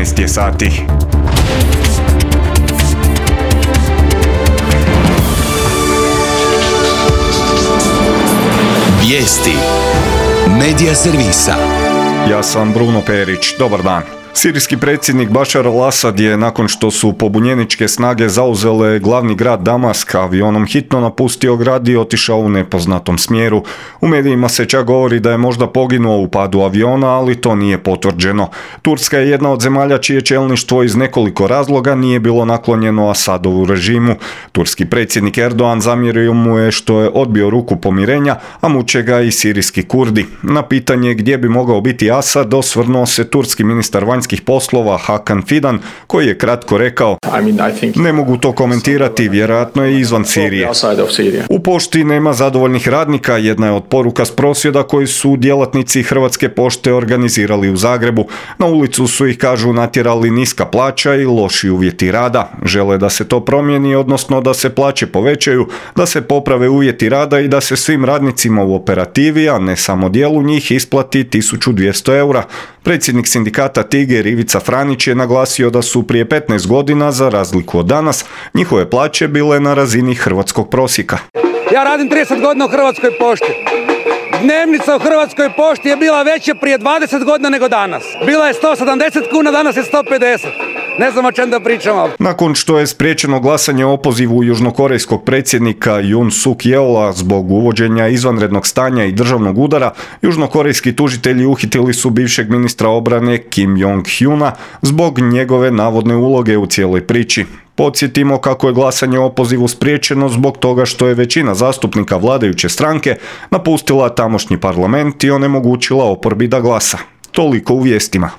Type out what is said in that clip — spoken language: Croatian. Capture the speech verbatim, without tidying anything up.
petnaest je sati. Vijesti Medija servisa. Ja sam Bruno Perić, dobar dan. Sirijski predsjednik Bašar al-Asad je, nakon što su pobunjeničke snage zauzele glavni grad Damask, avionom hitno napustio grad i otišao u nepoznatom smjeru. U medijima se čak govori da je možda poginuo u padu aviona, ali to nije potvrđeno. Turska je jedna od zemalja čije čelništvo iz nekoliko razloga nije bilo naklonjeno Asadovu režimu. Turski predsjednik Erdogan zamjerio mu je što je odbio ruku pomirenja, a muče ga i sirijski Kurdi. Na pitanje gdje bi mogao biti Asad osvrnuo se turski ministar vanjskih poslova Hakan Fidan, koji je kratko rekao: ne mogu to komentirati, vjerojatno je izvan Sirije. U pošti nema zadovoljnih radnika, jedna je od poruka s prosvjeda koji su djelatnici Hrvatske pošte organizirali u Zagrebu. Na ulicu su ih, kažu, natjerali niska plaća i loši uvjeti rada. Žele da se to promijeni, odnosno da se plaće povećaju, da se poprave uvjeti rada i da se svim radnicima u operativi, a ne samo dijelu njih, isplati tisuću dvjesto eura. Predsjednik sindikata Tiger Ivica Franić je naglasio da su prije petnaest godina, za razliku od danas, njihove plaće bile na razini hrvatskog prosjeka. Ja radim trideset godina u Hrvatskoj pošti. Dnevnica u Hrvatskoj pošti je bila veća prije dvadeset godina nego danas. Bila je sto sedamdeset kuna, danas je sto pedeset. Ne znam o čem da pričamo. Nakon što je spriječeno glasanje o opozivu južnokorejskog predsjednika Yoon Suk Yeola zbog uvođenja izvanrednog stanja i državnog udara, južnokorejski tužitelji uhitili su bivšeg ministra obrane Kim Jong-hyuna zbog njegove navodne uloge u cijeloj priči. Podsjetimo kako je glasanje o opozivu spriječeno zbog toga što je većina zastupnika vladajuće stranke napustila tamošnji parlament i onemogućila oporbi da glasa. Toliko u vijestima.